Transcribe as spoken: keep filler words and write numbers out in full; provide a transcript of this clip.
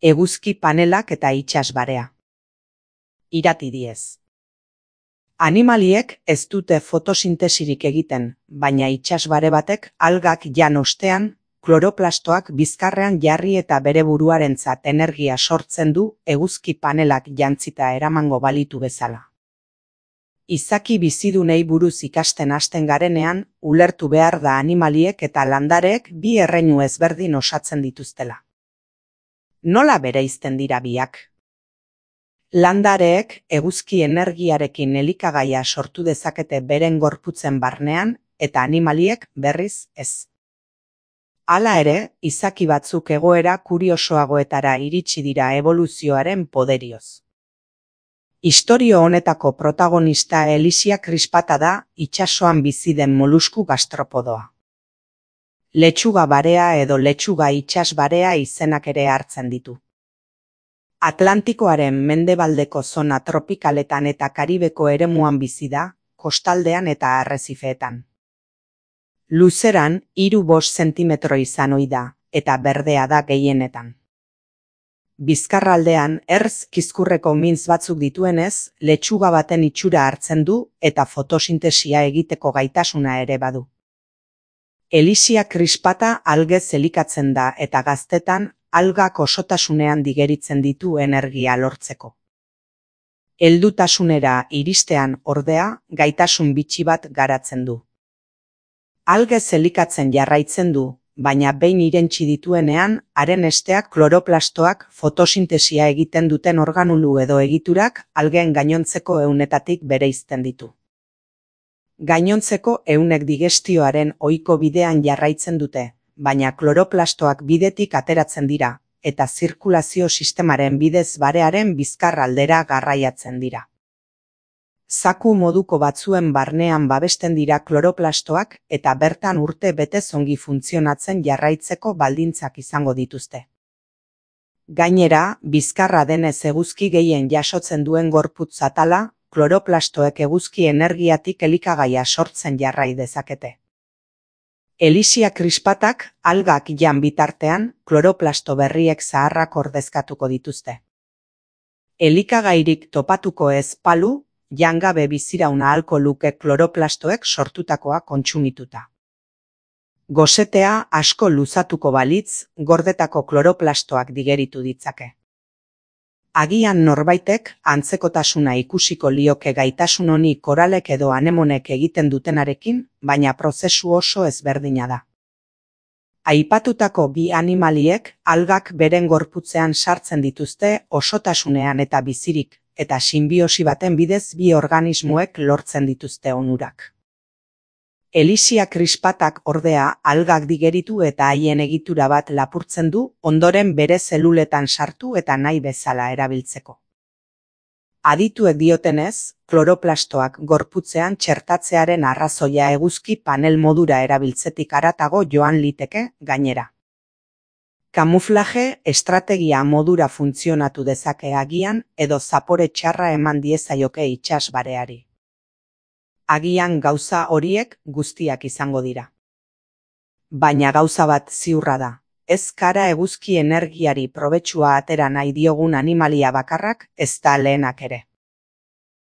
eguzki panelak eta itsasbarea. Irati diez. Animaliek ez dute fotosintesirik egiten, baina itsasbare batek algak jan ostean, kloroplastoak bizkarrean jarri eta bere buruarentzat energia sortzen du eguzki panelak jantzita eramango balitu bezala. Izaki bizidunei buruz ikasten hasten garenean, ulertu behar da animaliek eta landareek bi erreinu ezberdin osatzen dituztela. Nola bereizten dira biak? Landareek eguzki energiarekin elikagaia sortu dezakete beren gorputzen barnean eta animaliek berriz ez. Hala ere, izaki batzuk egoera kuriosoagoetara iritsi dira eboluzioaren poderioz. Istorio honetako protagonista Elysia crispata da, itsasoan bizi den molusku gastropodoa. Letxuga barea edo letxuga itsasbarea izenak ere hartzen ditu. Atlantikoaren mendebaldeko zona tropikaletan eta Karibeko eremuan bizi da, kostaldean eta arrezifeetan. Luzeran, hiru bost zentimetro izan ohi da, eta berdea da gehienetan. Bizkarraldean, ertz kizkurreko mintz batzuk dituenez, letxuga baten itxura hartzen du eta fotosintesia egiteko gaitasuna ere badu. Elysia crispata algez elikatzen da eta gaztetan algak osotasunean digeritzen ditu energia lortzeko. Heldutasunera iristean ordea, gaitasun bitxi bat garatzen du. Algez elikatzen jarraitzen du, baina behin irentsi dituenean, haren esteak kloroplastoak fotosintesia egiten duten organulu edo egiturak algeen gainontzeko ehunetatik bereizten ditu. Gainontzeko ehunek digestioaren ohiko bidean jarraitzen dute, baina kloroplastoak bidetik ateratzen dira, eta zirkulazio sistemaren bidez barearen bizkar aldera garraiatzen dira. Zaku moduko batzuen barnean babesten dira kloroplastoak eta bertan urte betez ongi funtzionatzen jarraitzeko baldintzak izango dituzte. Gainera, bizkarra denez eguzki gehien jasotzen duen gorputz atala, kloroplastoek eguzki energiatik elikagaia sortzen jarrai dezakete. Elysia crispatak algak jan bitartean, kloroplasto berriek zaharrak ordezkatuko dituzte. Elikagairik topatuko ez palu, jangabe biziraun ahalko luke kloroplastoek sortutakoa kontsumituta. Gosetea asko luzatuko balitz, gordetako kloroplastoak digeritu ditzake. Agian norbaitek antzekotasuna ikusiko lioke gaitasun honi koralek edo anemonek egiten dutenarekin, baina prozesu oso ezberdina da. Aipatutako bi animaliek algak beren gorputzean sartzen dituzte osotasunean eta bizirik, eta sinbiosi baten bidez bi organismoek lortzen dituzte onurak. Elysia crispatak ordea algak digeritu eta haien egitura bat lapurtzen du, ondoren bere zeluletan sartu eta nahi bezala erabiltzeko. Adituek diotenez, kloroplastoak gorputzean txertatzearen arrazoia eguzki panel modura erabiltzetik haratago joan liteke gainera. Kamuflaje estrategia modura funtzionatu dezake agian edo zapore txarra eman diezaioke itsasbareari. Agian gauza horiek guztiak izango dira. Baina gauza bat ziurra da, ez kara eguzki energiari probetxua atera nahi diogun animalia bakarrak ez da lehenak ere.